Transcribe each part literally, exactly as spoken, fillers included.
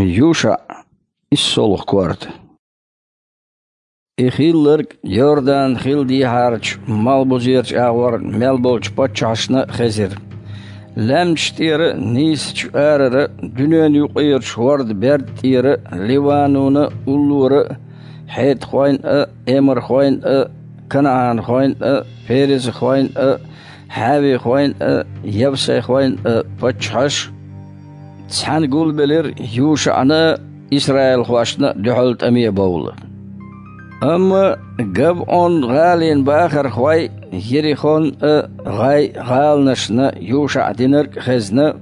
Юша, иссолгӀа корта. И хилларг Йордан хил дийхьарчу малхбузерчу агӀор мел болчу паччахьашна а хезира. Лаьмнаш тӀера а, нийсачу арара а, дуьненан юкъерачу хӀорда берда тӀера а, Ливануна а, уллора а, хьетхойн а, эмархойн а, канаӀанхойн а, перезахойн а, хьавихойн а, явсайхойн а паччахьаш цхьаьна гулбелира ЮшаӀна а, исраилхошна а дуьхьал тӀаме бовла. Амма Гавъон-гӀалин бахархой Ерихон а, ГӀай гӀаланашна ЮшаӀа динарг а хезна,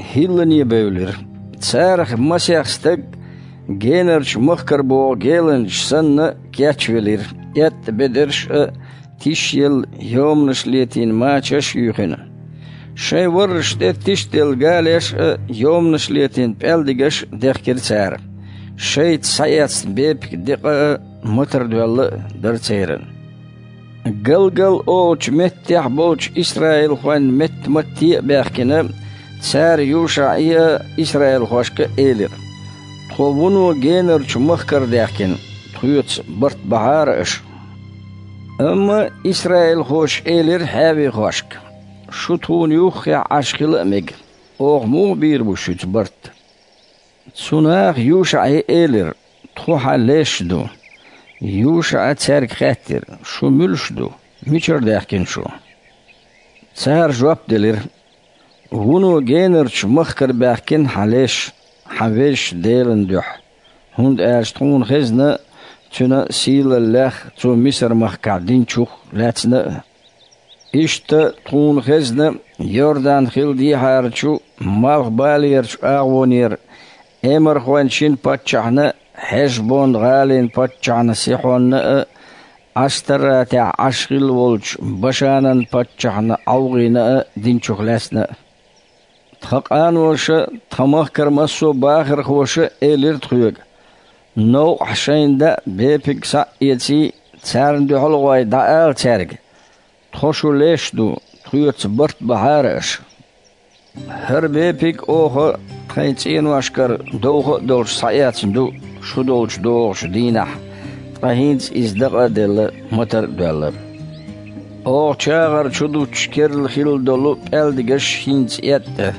хӀиллане бевлира. Царах масех стаг генарчу махкара богӀу геланчаш санна кечвелира, эттӀа бедарш а, тишъелла йоманаш летийна мачаш а юьйхина. Шайн варраш тӀе тишделла галеш а, йоманаш летийна пӀелдигаш а дехкира цара. Шайца схьаэцна бепиг декъа а, матар доьлла а дара церан. Галгал олучу меттехь болчу исраилхойн метта-матте а баьхкина, цара ЮшаӀе а, исраилхошка а элира: «Тхо вуно генарчу махкара даьхкина, тхоьца барт бахьара аша». Амма исраилхоша элира хьавихошка: «Шу тхуна юххехь Ӏаш хила а мега. Оха муха бийр бу шуьца барт?» Цу наха ЮшаӀе элира: «Тхо хьан леш ду». ЮшаӀа цаьрга хаьттира: «Шу муьлш ду? Мичара даьхкина шу?» Цара жоп делира: «Вуно генарчу махкара баьхкина хьан леш, хьан Везачу Делан дуьхьа, хӀунда аьлча тхуна хезна Цуьнан сийлаллех Цо Мисар-махкахь динчух лаьцна а. Иштта тхуна хезна Йордан хил дехьарчу малхбалерачу агӀонера эмархойн шина паччахьна а, Хьешбон-гӀалин паччахьна Сихьонна а, Ӏаштаратехь Ӏаш хилла волчу Башанан паччахьна ӀовгӀина а динчух лаьцна а». Тхан къаноша, тхан махкара массо а бахархоша элира тхоьга: «Новкъахь шайна даа бепиг схьа а эций, царна дуьхьал а гӀой, дӀаала цаьрга: „Тхо шу леш ду, тхоьца барт бахьара аша“. ХӀара бепиг оха тхайн цӀеношкара довха а долуш схьаэцна ду шу долчу догӀучу дийнахь, ткъа хӀинца иза дакъа а делла, матар а доьлла. Оха чагӀар чу дуттуш керла хилла долу пӀелдигаш хӀинца эттӀа.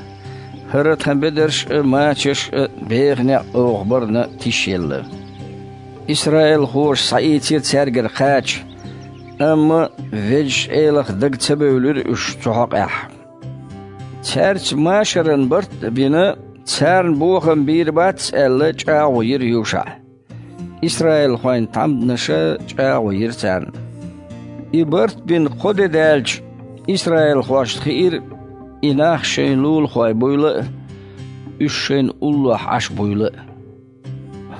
ХӀара тхан бедарш а, мачаш а беха некъ оха барна тишъелла». Исраилхоша схьаийцира цаьргара кхача, амма Везачу Элах дага ца бевлира уьш цу хьокъехь. Цаьрца машаран барт а бина, царна бохам бийр бац аьлла, чӀагӀо йира ЮшаӀа. Исраилхойн тхьамданаша чӀагӀо йира царна. И барт бина кхо де даьлча, исраилхошна хиира, и нах шайн лулахой буйла а, уьш шайна уллохь Ӏаш буйла а.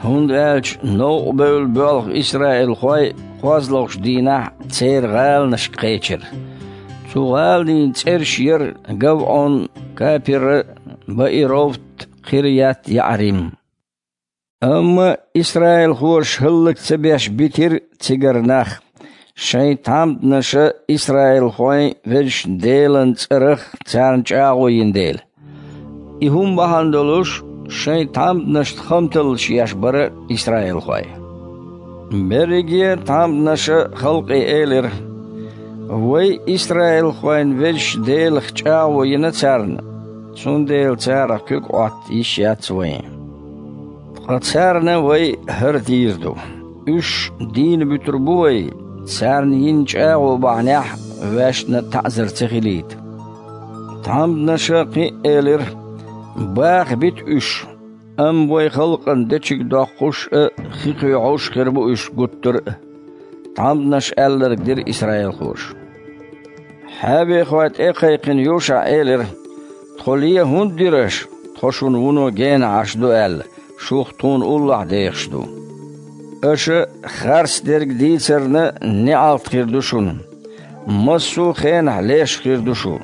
ХӀунда аьлча новкъа бевлла боьлху исраилхой кхозлагӀчу дийнахь церан гӀаланашка кхечира. Цу гӀаланийн цӀераш яра Гавъон, Капира, Баировт, Кхирят-ЯӀрим. Амма исраилхоша хӀаллак ца беш битира цигара нах, шайн тхьамданаша исраилхойн Везачу Делан цӀарах царна чӀагӀо йина дела. И хӀума бахьана долуш, шайн тхьамданашна хамталлаш еш бара исраилхой. Берриге а тхьамданаша халкъе элира: «Вай исраилхойн Везачу Делах чӀагӀо йина царна, цундела царах куьг Ӏотта йиш яц вайн. Ткъа царна вай хӀара дийр ду. Уьш дийна буьтур бу вай, царна йина чӀагӀо бахьанехь ваьшна таӀзар ца хилийта». Тхьамданаша кхин а элира: «Баха бита уьш, амма вай халкъана дечиг доккхуш а, хи кхоьхьуш а хир бу уьш гуттар а». Тхьамданаш аьлларг дира исраилхоша. Хьавехой тӀе а кхайкхина, ЮшаӀа элира: «Тхо лен хӀунда дира аша, тхо шуна вуно гена Ӏаш ду аьлла, шух тхуна уллохь дехаш ду? Аша харцдерг дийцарна неӀалт хир ду шуна. Массо а хенахь леш хир ду шу.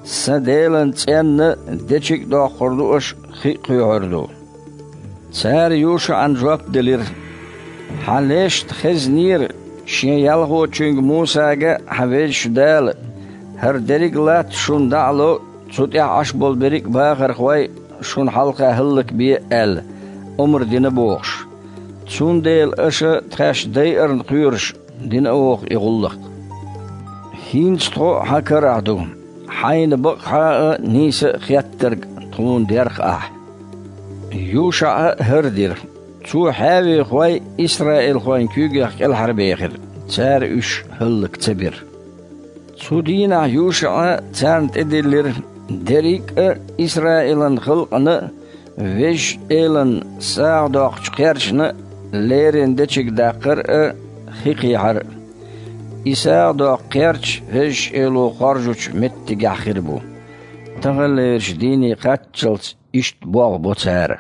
Сан Делан цӀенна дечиг а доккхур ду аша, хи а кхоьхьур ду». Цара ЮшаӀана жоп делира: «Хьан лешна хезнера шен ялхочуьнга Мусага хьан Везачу Дала: „ХӀара дерриг а латта шуна дӀа а ло, цу тӀехь Ӏаш болу берриг а бахархой шуна хьалха хӀаллакбе аьлла, омра дина бохуш. Цундела аша тхаьш дайарна кхоьруш дина оха и гӀуллакх. ХӀинца тхо хьан карахь ду, хьайна бакъахьа а, нийса а хеттарг тхуна дерх ахь». ЮшаӀа хӀара дира. Цо хьаьвехой исраилхойн куьйгех кӀелхьарбехира, цара уьш хӀаллак ца бира. Цу дийнахь ЮшаӀа царна тӀедиллира дерриг а Исраилан халкъана а, Везачу Элана сагӀа доккхучу кхерчана а леррина дечиг даккхар а, хи кхехьар а. И сагӀа доккху кхерч Везачу Эло хоржучу меттигехь хир бу. Таханлерчу дийне кхаччалц иштта болх бо цара.